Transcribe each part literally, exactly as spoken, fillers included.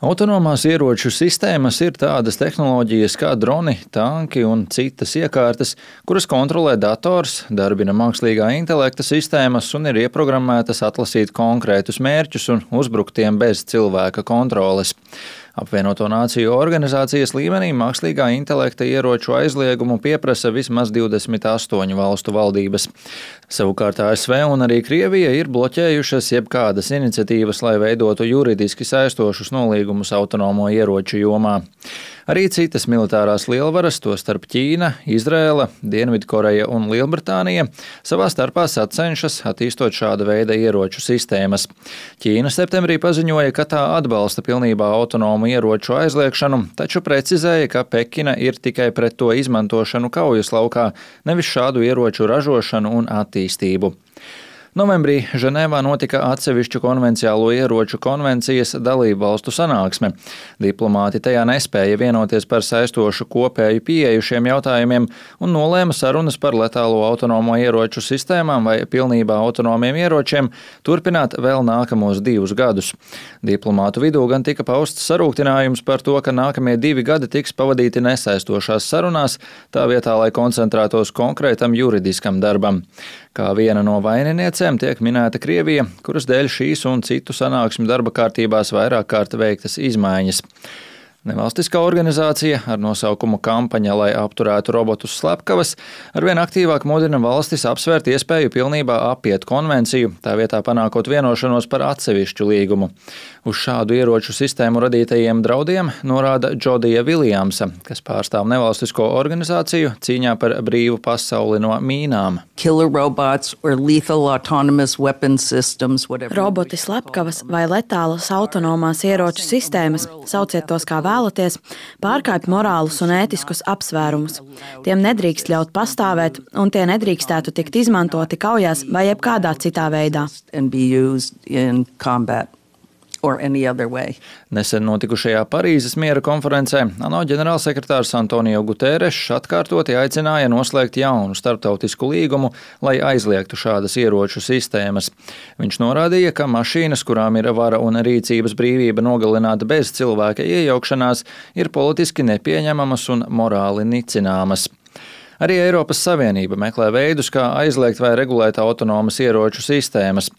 Autonomās ieroču sistēmas ir tādas tehnoloģijas kā droni, tanki un citas iekārtas, kuras kontrolē dators, darbina mākslīgā intelekta sistēmas un ir ieprogrammētas atlasīt konkrētus mērķus un uzbrukt tiem bez cilvēka kontroles. Apvienoto Nāciju organizācijas līmenī mākslīgā intelekta ieroču aizliegumu pieprasa vismaz divdesmit astoņu valstu valdības. Savukārt A S V un arī Krievija ir bloķējušas jebkādas iniciatīvas, lai veidotu juridiski saistošus nolīgumus autonomo ieroču jomā. Arī citas militārās lielvaras, tostarp Ķīna, Izraēla, Dienvidkoreja un Lielbritānija, savā starpā sacenšas attīstot šāda veida ieroču sistēmas. Ķīna septembrī paziņoja, ka tā atbalsta pilnībā autonomu ieroču aizliekšanu, taču precizēja, ka Pekina ir tikai pret to izmantošanu kaujas laukā, nevis šādu ieroču ražošanu un attīstību. Novembrī Ženēvā notika atsevišķu konvenciālo ieroču konvencijas dalību valstu sanāksme. Diplomāti tajā nespēja vienoties par saistošu kopēju pieeju šiem jautājumiem un nolēma sarunas par letālo autonomo ieroču sistēmām vai pilnībā autonomiem ieročiem turpināt vēl nākamos divus gadus. Diplomātu vidū gan tika pausts sarūktinājums par to, ka nākamie divi gadi tiks pavadīti nesaistošās sarunās, tā vietā, lai koncentrētos konkrētam juridiskam darbam. Kā viena no vaininiecēm tiek minēta Krievija, kuras dēļ šīs un citu sanāksmi darba kārtībās vairāk kārt veiktas izmaiņas. Nevalstiskā organizācija ar nosaukumu Kampaņa, lai apturētu robotus slepkavas, arvien aktīvāk mudina valstis apsvērt iespēju pilnībā apiet konvenciju, tā vietā panākot vienošanos par atsevišķu līgumu. Uz šādu ieroču sistēmu radītajiem draudiem norāda Džodija Viljamsa, kas pārstāv nevalstisko organizāciju cīņā par brīvu pasauli no mīnām. Roboti, slepkavas vai letālas autonomās ieroču sistēmas, sauciet tos kā vēlaties, pārkāpj morālus un ētiskus apsvērumus. Tiem nedrīkst ļaut pastāvēt, un tie nedrīkstētu tikt izmantoti kaujās vai jebkādā citā veidā. Nesen notikušajā Parīzes miera konferencē ANO ģenerālsekretārs Antonio Guterešs atkārtoti aicināja noslēgt jaunu starptautisku līgumu, lai aizliegtu šādas ieroču sistēmas. Viņš norādīja, ka mašīnas, kurām ir vara un rīcības brīvība nogalināt bez cilvēka iejaukšanās, ir politiski nepieņemamas un morāli nicināmas. Arī Eiropas Savienība meklē veidus, kā aizliegt vai regulēt autonomas ieroču sistēmas.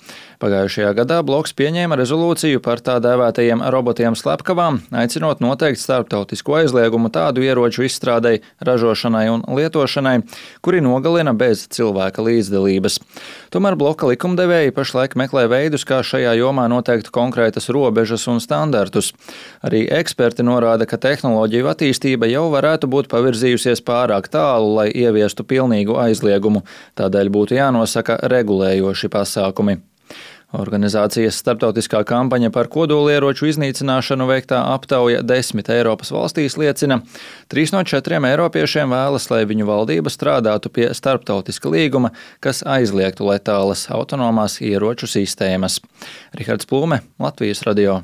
Pagājušajā gadā bloks pieņēma rezolūciju par tā dēvētajiem robotiem slepkavām, aicinot noteikt starptautisku aizliegumu tādu ieroču izstrādei, ražošanai un lietošanai, kuri nogalina bez cilvēka līdzdalības. Tomēr bloka likumdevēji pašlaik meklē veidus, kā šajā jomā noteikt konkrētas robežas un standartus. Arī eksperti norāda, ka tehnoloģiju attīstība jau varētu būt pavirzījusies pārāk tālu, lai ieviestu pilnīgu aizliegumu, tādēļ būtu jānosaka regulējoši pasākumi. Organizācijas starptautiskā kampaņa par kodolieroču iznīcināšanu veiktā aptauja desmit Eiropas valstīs liecina, trīs no četriem eiropiešiem vēlas, lai viņu valdība strādātu pie starptautiska līguma, kas aizliegtu letālas autonomās ieroču sistēmas. Rihards Plūme, Latvijas radio.